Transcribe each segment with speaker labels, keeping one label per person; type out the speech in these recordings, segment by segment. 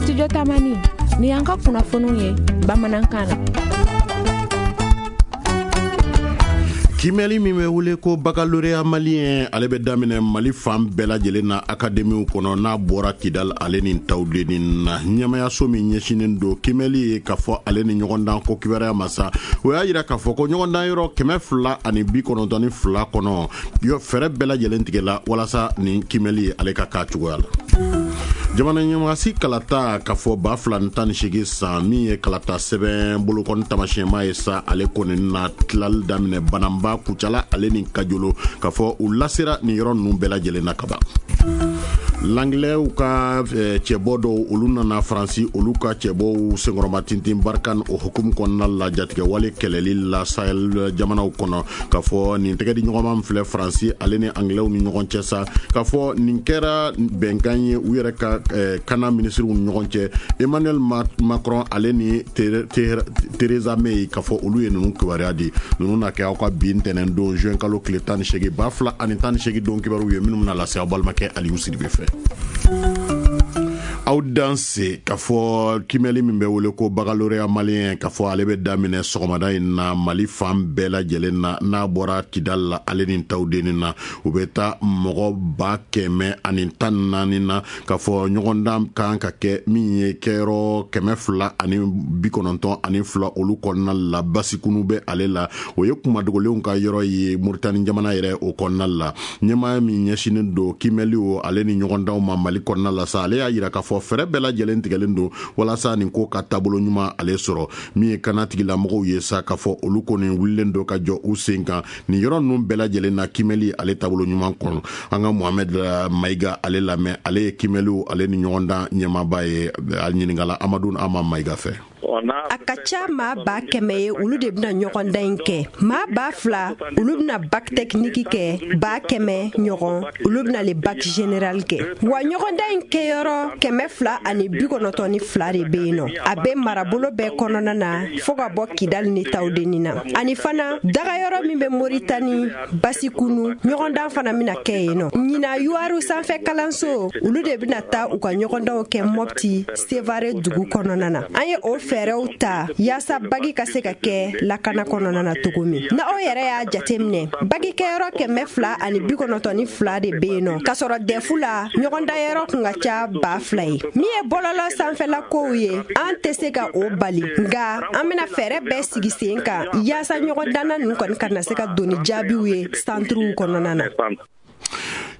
Speaker 1: Studio Tamani, nin y'an ka kunnafoniw ye bamanankan na.
Speaker 2: Kiimɛli min bɛ wele ko baccalauréat malien, ale bɛ daminɛ Mali fan bɛɛ lajɛlen na akademiw kɔnɔ, n'a bɔra Kidal ale ni Tawudeni na. Ɲɛmayaso min ɲɛsinnen don kiimɛli ye k'a fɔ ale ni ɲɔgɔndan ko kibaruya ma sa, o y'a jira k'a fɔ ko ɲɔgɔndan yɔrɔ 292 kɔnɔ, fɛɛrɛ bɛɛ lajɛlen tigɛla walasa nin kiimɛli ale ka k'a cogoya la. Jamana ɲɛmaasi kalata k'a fɔ 2018 san, min ye kalata sɛbɛn bolokɔni tamasiyɛnma ye sa, ale kɔni na tilali daminɛ Bananba, Kucala ale ni Kajolo, k'a fɔ u lasera nin yɔrɔ ninnu bɛɛ lajɛlen na kaban. Langilɛw ka cɛbɔ dɔw, olu nana Faransi, olu ka cɛbɔw senkɔrɔma tintin Barkhane o hukumu kɔnɔna la, jatigɛwale kɛlɛli la Sahel jamanaw kɔnɔ, k'a fɔ nin tɛgɛ di ɲɔgɔnma min filɛ Faransi ale ni Angilɛw ni ɲɔgɔn cɛ sa, k'a fɔ nin kɛra bɛnkan ye u yɛrɛ ka kana minisiriw ni ɲɔgɔn cɛ, Emmanuel Macron ale ni Theresa May, k'a fɔ olu ye ninnu kibaruya di. Ninnu na kɛ aw ka bi ntɛnɛn don juin kalo tile 18 2018 don kibaruw ye, minnu bɛna lase aw balimakɛ Aliyu Sidibe fɛ. Aw danse k'a fɔ kiimɛli min bɛ wele ko baccalauréat malien, k'a fɔ ale bɛ daminɛ sɔgɔmada in na Mali fan bɛɛ lajɛlen na, n'a bɔra Kidal la ale ni Tawudeni na. U bɛ taa mɔgɔ 114,000 na, k'a fɔ ɲɔgɔndan kan ka kɛ min ye kɛyɔrɔ 292 olu kɔnɔna la. Basikunu bɛ ale la, o ye kumadogolenw ka yɔrɔ ye Moritani jamana yɛrɛ o kɔnɔna la. Ɲɛmaa min ɲɛsinnen don kiimɛliw ale ni ɲɔgɔndanw ma Mali kɔnɔna la sa, ale y'a jira k'a fɔ fɛɛrɛ bɛɛ lajɛlen tigɛlen don walasa nin ko ka taabolo ɲuman ale sɔrɔ. Min ye kana tigilamɔgɔw ye sa, k'a fɔ olu kɔni wulilen don ka jɔ u sen kan nin yɔrɔ ninnu bɛɛ lajɛlen na kiimɛli ale taabolo ɲuman kɔnɔ. An ka Mohamed Mayiga ale lamɛn, ale ye kiimɛliw ale ni ɲɔgɔndan ɲɛmaaba ye, a ɲininkala Amadu Ama Mayiga fɛ.
Speaker 3: A ka ca maa 100,000 ye, olu de bɛna ɲɔgɔndan in kɛ. Maa 2000, olu bɛna bac technique kɛ, 100,000 ɲɔgɔn, olu bɛna le bac général kɛ. Wa ɲɔgɔndan in kɛyɔrɔ 292 de bɛ yen nɔ. A bɛ marabolo bɛɛ kɔnɔna na fo ka bɔ Kidali ni Tawudeni na. Ani fana dagayɔrɔ min bɛ Moritani Basikunu, ɲɔgɔndan fana bɛna kɛ yen nɔ. Ɲinan Yuwaru sanfɛ kalanso, olu de bɛna taa u ka ɲɔgɔndanw kɛ Mopti Sevare dugu kɔnɔna na. An ye o fɛɛrɛw ta yaasa bagi ka se ka kɛ lakana kɔnɔna na cogo min na. Aw yɛrɛ y'a jateminɛ, bagi kɛyɔrɔ 292 de bɛ yen nɔ, k'a sɔrɔ dɛfu la ɲɔgɔndanyɔrɔ kun ka ca 2000 ye. Min ye bɔlɔlɔ sanfɛla kow ye, an tɛ se ka o bali, nka an bɛna fɛɛrɛ bɛɛ sigi sen kan yaasa ɲɔgɔndanna ninnu kɔni kana se ka don ni jaabiw ye santuruw kɔnɔna na.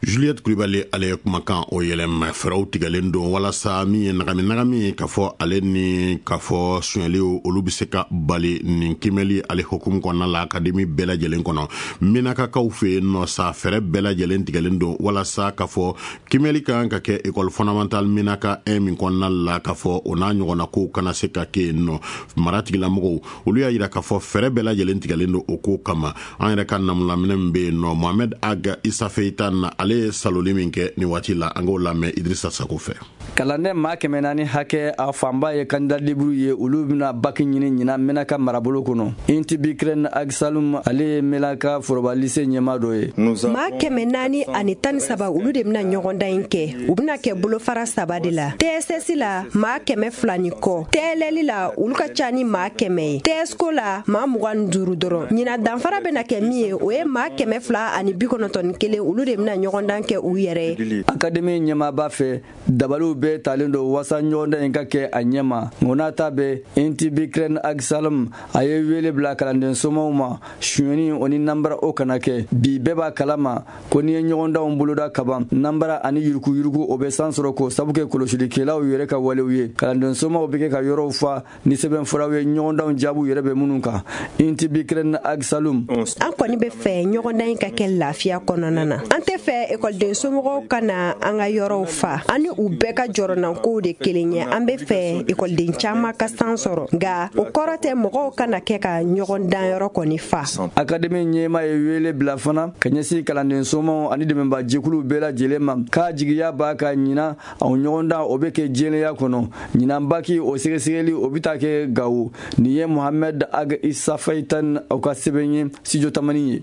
Speaker 2: Juliette Kulibali ale ye kumakan o yɛlɛma. Fɛɛrɛw tigɛlen don walasa min ye nagami nagami k'a fɔ ale ni k'a fɔ sonyɛliw, olu bɛ se ka bali nin kiimɛli ale hukumu kɔnɔna la akademi bɛɛ lajɛlen kɔnɔ. Menakakaw fɛ yen nɔ sa, fɛɛrɛ bɛɛ lajɛlen tigɛlen don walasa k'a fɔ kiimɛli kan ka kɛ école fondamentale Menaka 1 min kɔnɔna la, k'a fɔ o n'a ɲɔgɔnna kow kana se ka kɛ yen nɔ. Mara tigilamɔgɔw, olu y'a jira k'a fɔ fɛɛrɛ bɛɛ lajɛlen tigɛlen don o ko kama. An yɛrɛ ka namulaminɛ min bɛ yen nɔ, Mohamed Ag Isafeita na, ale ye saloli min kɛ nin waati la, an k'o lamɛn Idrissa Sako fɛ.
Speaker 4: Kalanden maa 400 hakɛ, a fanba ye candidat libre ye, olu bɛna baki ɲini ɲinan Menaka marabolo kɔnɔ. Intibikren Agsalum, ale ye Menaka foroba lycée ɲɛmaa dɔ ye.
Speaker 3: Maa 413, olu de bɛna ɲɔgɔndan in kɛ. U bɛna kɛ bolofara saba de la. TSS la, maa 200 ni kɔ. TLL la, olu ka ca ni maa 100 ye. TSCO la, maa 25 dɔrɔn. Ɲinan danfara bɛna kɛ min ye, o ye maa 291, olu de bɛna ɲɔgɔndan kɛ u yɛrɛ ye.
Speaker 4: Akademi ɲɛmaaba fɛ, dabaliw bɛɛ talen don wasa ɲɔgɔndan in ka kɛ a ɲɛma. O n'a ta bɛɛ, Intibikren Agsalum, a ye wele bila kalanden somaw ma, sonyɛni o ni nanbara, o kana kɛ. Bi, bɛɛ b'a kalama ko n'i ye ɲɔgɔndanw boloda kaban, nanbara ani yurukuyuruku, o bɛ san sɔrɔ k'o sabu kɛ kɔlɔsilikɛlaw yɛrɛ ka walew ye. Kalanden somaw bɛ kɛ ka yɔrɔw fa ni sɛbɛnfuraw ye, ɲɔgɔndanw jaabiw yɛrɛ bɛ minnu kan. Intibikren Agsalum:
Speaker 3: An kɔni bɛ fɛ ɲɔgɔndan in ka kɛ lafiya kɔnɔna na. An tɛ fɛ ekɔliden somɔgɔw ka na an ka yɔrɔw fa. An ni u bɛɛ ka jɔrɔnankow de kelen ye. An bɛ fɛ ekɔliden caman ka san sɔrɔ, nka o kɔrɔ tɛ mɔgɔw kana kɛ ka ɲɔgɔn danyɔrɔ kɔni fa.
Speaker 4: Akademi ɲɛmaa ye wele bila fana ka ɲɛsin kalanden somaw ani dɛmɛbajɛkuluw bɛɛ lajɛlen ma, k'a jigiya b'a ka ɲinan a ɲɔgɔndan, o bɛ kɛ jɛlenya kɔnɔ. Ɲinan baki o sɛgɛsɛgɛli, o bɛ taa kɛ Gawo. Nin ye Mohamed Ag Isafaitan, o ka sɛbɛn ye Studio Tamani ye.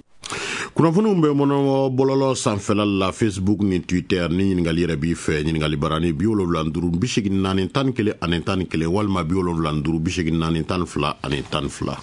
Speaker 2: Kunnafoniw bɛ mɔnɔ bɔlɔlɔ sanfɛla la, Facebook ni Twitter. Ni ɲininkali yɛrɛ b'i fɛ, ɲininkali barani 75 84 ani 11 walima 75 84 12 12.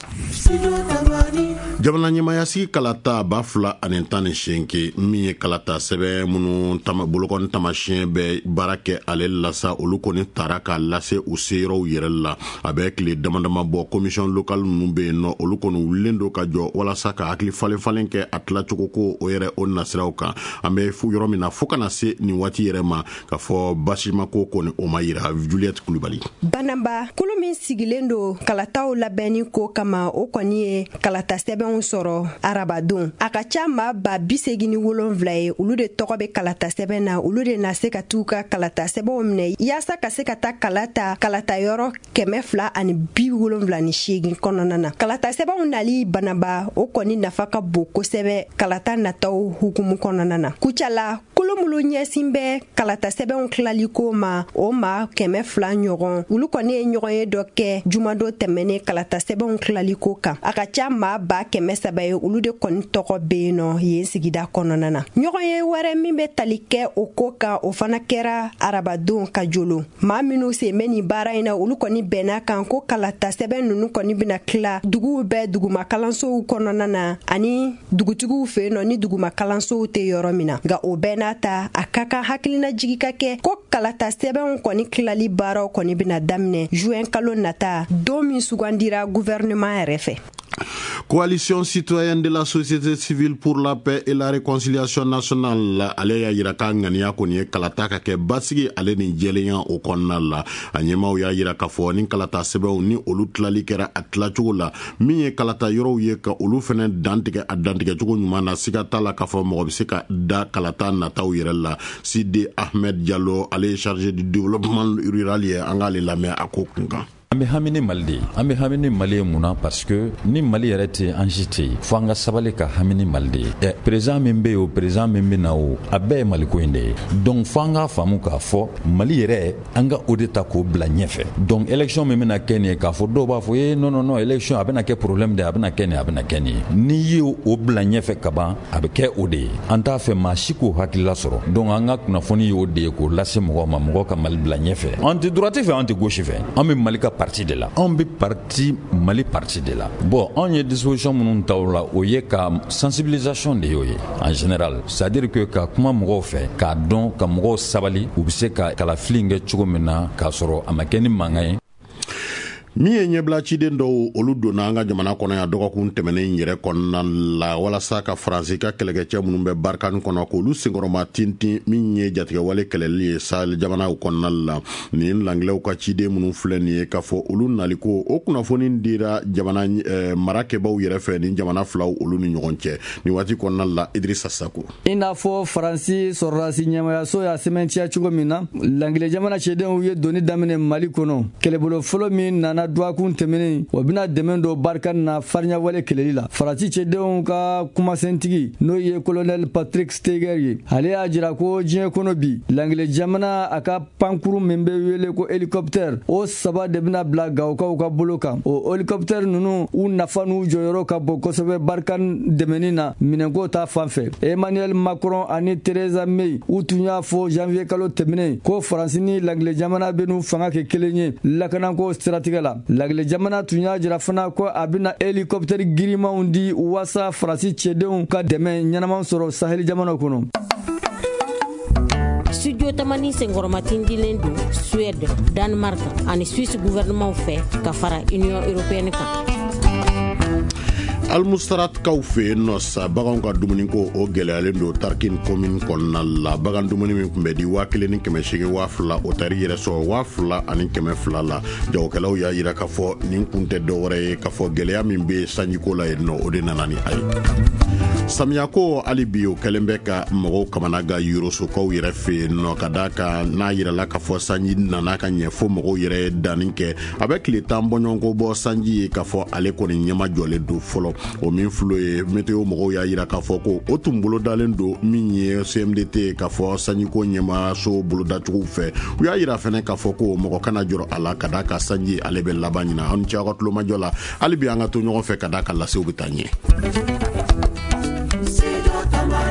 Speaker 2: Jamana ɲɛmayasigi kalata 2018, min ye kalata sɛbɛn minnu bolokɔni tamasiyɛn bɛ baara kɛ ale la sa, olu kɔni tara k'a lase u seyɔrɔw yɛrɛ la. A bɛ tile dama dama bɔ, commission locale ninnu bɛ yen nɔ, olu kɔni wulilen don ka jɔ walasa ka hakili falen falen kɛ a tilacogo ko o yɛrɛ o nasiraw kan. An bɛ yɔrɔ min na, fo kana se nin waati yɛrɛ ma, k'a fɔ basimako kɔni o ma yira. Juliette Kulubali.
Speaker 3: Banaba, kulu min sigilen don kalataw labɛnni ko kama, o kɔni ye kalata sɛbɛnw sɔrɔ arabadon. A ka ca maa 87,000 ye, olu de tɔgɔ bɛ kalata sɛbɛn na. Olu de na se ka t'u ka kalata sɛbɛnw minɛ yaasa ka se ka taa kalata kalata yɔrɔ 278 kɔnɔna na. Kalata sɛbɛnw nali Banaba, o kɔni nafa ka bon kosɛbɛ kalata nataw hukumu kɔnɔna na. Kucala, kolo minnu ɲɛsin bɛ kalata sɛbɛnw tilaliko ma, o maa 200 ɲɔgɔn, olu kɔni ye ɲɔgɔn ye dɔ kɛ jumadon tɛmɛnen kalata sɛbɛnw tilaliko kan. A ka ca maa 300,000 ye, olu de kɔni tɔgɔ bɛ yen nɔ yen sigida kɔnɔna na. Ɲɔgɔn ye wɛrɛ min bɛ tali kɛ o ko kan, o fana kɛra arabadon ka jolo. Maa minnu sen bɛ nin baara in na, olu kɔni bɛnna kan ko kalata sɛbɛn ninnu kɔni bɛna tila duguw bɛɛ duguma kalansow kɔnɔna na ani dugutigiw fɛ yen nɔ ni duguma kalansow tɛ yɔrɔ min na. Nka o bɛɛ n'a ta, a ka kan hakilinajigi ka kɛ ko kalata sɛbɛnw kɔni tilali baaraw kɔni bɛna daminɛ juin kalo nata, don min sugandira gouvernement yɛrɛ fɛ.
Speaker 2: Coalition citoyenne de la société civile pour la paix et la réconciliation nationale, ale y'a yira k'a ŋaniya kɔni ye kalata ka kɛ basigi ale ni jɛlenya o kɔnɔna la. A ɲɛmaw y'a yira k'a fɔ ni kalata sɛbɛnw ni olu tilali kɛra a tilacogo la, min ye kalata yɔrɔw ye ka olu fɛnɛ dantigɛ a dantigɛcogo ɲuman na, siga t'a la k'a fɔ mɔgɔ bɛ se ka da kalata nataw yɛrɛ la. Sidi Ahmed Diallo, ale ye chargé du développement rural ye, an k'ale lamɛn a ko kun kan.
Speaker 5: An bɛ hami ni Mali de ye. An bɛ hami ni Mali ye mun na? Parce que ni Mali yɛrɛ tɛ, an si tɛ yen. Fo an ka sabali ka hami ni Mali de ye. Ɛ, président min bɛ yen, o président min bɛ na, o a bɛɛ ye Maliko in de ye. Donc fo an k'a faamu k'a fɔ Mali yɛrɛ, an ka o de ta k'o bila ɲɛfɛ. Donc élection min bɛna kɛ nin ye, k'a fɔ dɔw b'a fɔ ee, non non non, élection a bɛna kɛ problème de ye, a bɛna kɛ nin, a bɛna kɛ nin ye. N'i ye o bila ɲɛfɛ kaban, a bɛ kɛ o de ye. An t'a fɛ maa si k'o hakilila sɔrɔ. Donc an ka kunnafoni y'o de ye k'o lase mɔgɔw ma, mɔgɔw ka Mali bila ɲɛfɛ. An tɛ droite fɛ, an tɛ gauche fɛ, an bɛ Mali ka parti de la, anw bɛ parti Mali parti de la. Bon, anw ye disposition minnu ta o la, o ye ka sensibilisation de y'o ye en général, c'est à dire que ka kuma mɔgɔw fɛ k'a dɔn, ka mɔgɔw sabali, u bɛ se ka kalafili kɛ cogo min na k'a sɔrɔ a ma kɛ ni mankan ye.
Speaker 2: Min ye ɲɛbila ciden dɔw, olu donna an ka jamana kɔnɔ yan dɔgɔkun tɛmɛnen yɛrɛ kɔnɔna la, walasa ka Faransi ka kɛlɛkɛcɛ minnu bɛ Barikani kɔnɔ, k'olu senkɔrɔma tintin, min ye jatigɛwale kɛlɛli ye Sahel jamanaw kɔnɔna la. Nin langilɛw ka ciden minnu filɛ nin ye, k'a fɔ olu naliko o kunnafoni dira jamana marakɛbaw yɛrɛ fɛ ni jamana filaw olu ni ɲɔgɔn cɛ nin waati kɔnɔna la. Idrissa Sako.
Speaker 4: I n'a fɔ Faransi sɔrɔdasi ɲɛmayaso y'a sɛmɛntiya cogo min na, langilɛ jamana cɛdenw ye doni daminɛ Mali kɔnɔ. Kɛlɛbolo fɔlɔ min nana dɔgɔkun tɛmɛnen, o bɛna dɛmɛ don Barikani na farinyawale kɛlɛli la. Faransi cɛdenw ka kumasentigi, n'o ye colonel Patrick Steger ye, ale y'a jira ko diɲɛ kɔnɔ bi, langilɛ jamana a ka pankuru min bɛ wele ko hélicoptère, o saba de bɛna bila Gawokaw ka bolo kan. O hélicoptère ninnu, u nafa n'u jɔyɔrɔ ka bon kosɛbɛ Barikani dɛmɛni na minɛnko ta fan fɛ. Emmanuel Macron ani Theresa May, u tun y'a fɔ janvier kalo tɛmɛnen ko Faransi ni langilɛ jamana bɛ n'u fanga kɛ kelen ye lakanako siratigɛ la. Lagile jamana tun y'a jira fana ko a bɛna hélicoptère girimanw di waasa Faransi cɛdenw ka dɛmɛ ɲɛnama sɔrɔ Saheli jamanaw kɔnɔ.
Speaker 6: Studio Tamani senkɔrɔmatindilen don Suède, Danemark ani Suisse gouvernement fɛ ka fara Union européenne kan.
Speaker 2: Almustaratkaw fɛ yen nɔ sa, baganw ka dumuniko o gɛlɛyalen don Tarkin commune kɔnɔna la. Bagan dumuni min tun bɛ di 1800, 2000, o taari yɛrɛ sɔrɔ 2200 la. Jagokɛlaw y'a yira k'a fɔ nin kun tɛ dɔwɛrɛ ye k'a fɔ gɛlɛya min bɛ sanjiko la yen nɔ, o de nana ni a ye. Samiyako hali bi o kɛlen bɛ ka mɔgɔw kamana ga Yorosokaw yɛrɛ fɛ yen nɔ, ka d'a kan n'a yirala k'a fɔ sanji nana ka ɲɛ fo mɔgɔw yɛrɛ ye danni kɛ. A bɛ tile 10 bɔɲɔgɔnko bɔ, sanji ye k'a fɔ ale kɔni ɲɛma jɔlen don fɔlɔ. O min filo ye, météo mɔgɔw y'a yira k'a fɔ ko o tun bolodalen don min ye CMDT k'a fɔ sanjiko ɲɛmaso bolodacogo fɛ. U y'a yira fɛnɛ k'a fɔ ko mɔgɔ kana jɔrɔ a la, ka d'a ka sanji ale bɛ laban ɲina. Aw ni ce aw ka tulomajɔ la. Hali bi an ka to ɲɔgɔn fɛ, ka d'a ka lasew bɛ taa ɲɛ.
Speaker 7: Studio Tambara.